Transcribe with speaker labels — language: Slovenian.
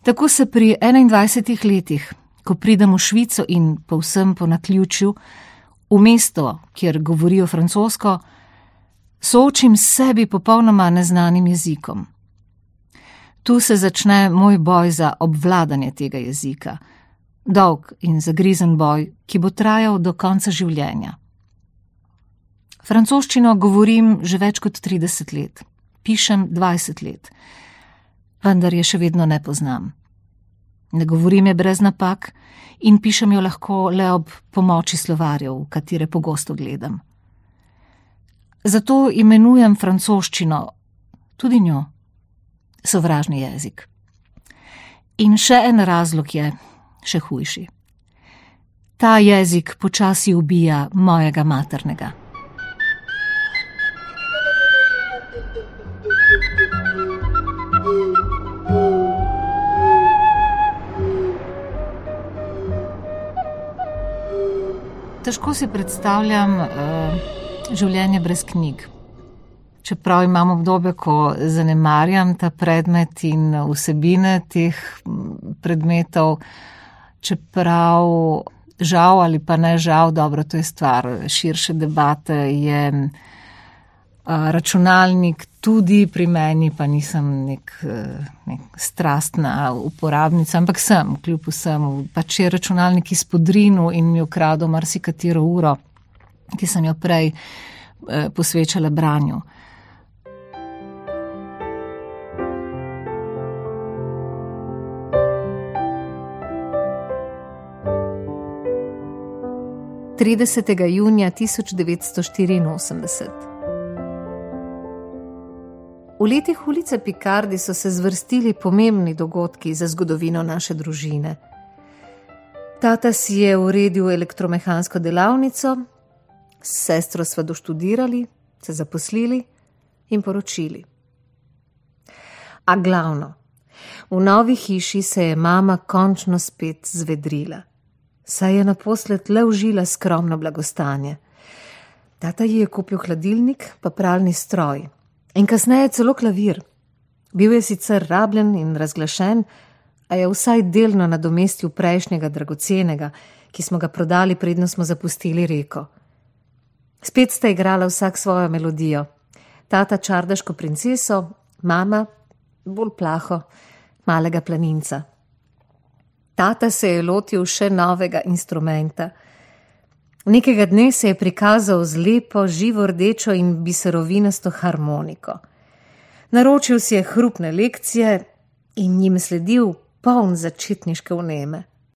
Speaker 1: Tako se pri 21 letih, ko pridem v Švico in povsem po naključju, v mesto, kjer govorijo francosko, soočim s sebi popolnoma neznanim jezikom. Tu se začne moj boj za obvladanje tega jezika. Dolg in zagrizen boj, ki bo trajal do konca življenja. Francoščino govorim že več kot 30 let, pišem 20 let, vendar je še vedno ne poznam. Ne govorim je brez napak in pišem jo lahko le ob pomoči slovarjev, v katere pogosto gledam. Zato imenujem francoščino, tudi njo, sovražni jezik. In še en razlog je, še hujši. Ta jezik počasi ubija mojega maternega. Težko si predstavljam življenje brez knjig. Čeprav imam obdobje, ko zanemarjam ta predmet in vsebine teh predmetov, čeprav žal ali pa ne žal, dobro, to je stvar širše debate, je računalnik tudi pri meni, pa nisem nek strastna uporabnica, ampak sem, kljub vsemu, pač je računalnik izpodrinil in mi ukradel marsikatero uro, ki sem jo prej posvečala branju. junija 1984. V letih ulice Picardi so se zvrstili pomembni dogodki za zgodovino naše družine. Tata si je uredil elektromehansko delavnico, s sestro sva doštudirali, se zaposlili in poročili. A glavno, v novi hiši se je mama končno spet zvedrila. Saj je naposled le užila skromno blagostanje. Tata ji je kupil hladilnik pa pralni stroj in kasneje celo klavir. Bil je sicer rabljen in razglašen, a je vsaj delno nadomestil prejšnjega dragocenega, ki smo ga prodali, predno smo zapustili Reko. Spet sta igrala vsak svojo melodijo. Tata čardaško princeso, mama bolj plaho, malega planinca. Tata se je lotil še novega instrumenta. Nekega dne se je prikazal z lepo, živo rdečo in biserovinasto harmoniko. Naročil si je hrupne lekcije in njim sledil poln začetniške vneme.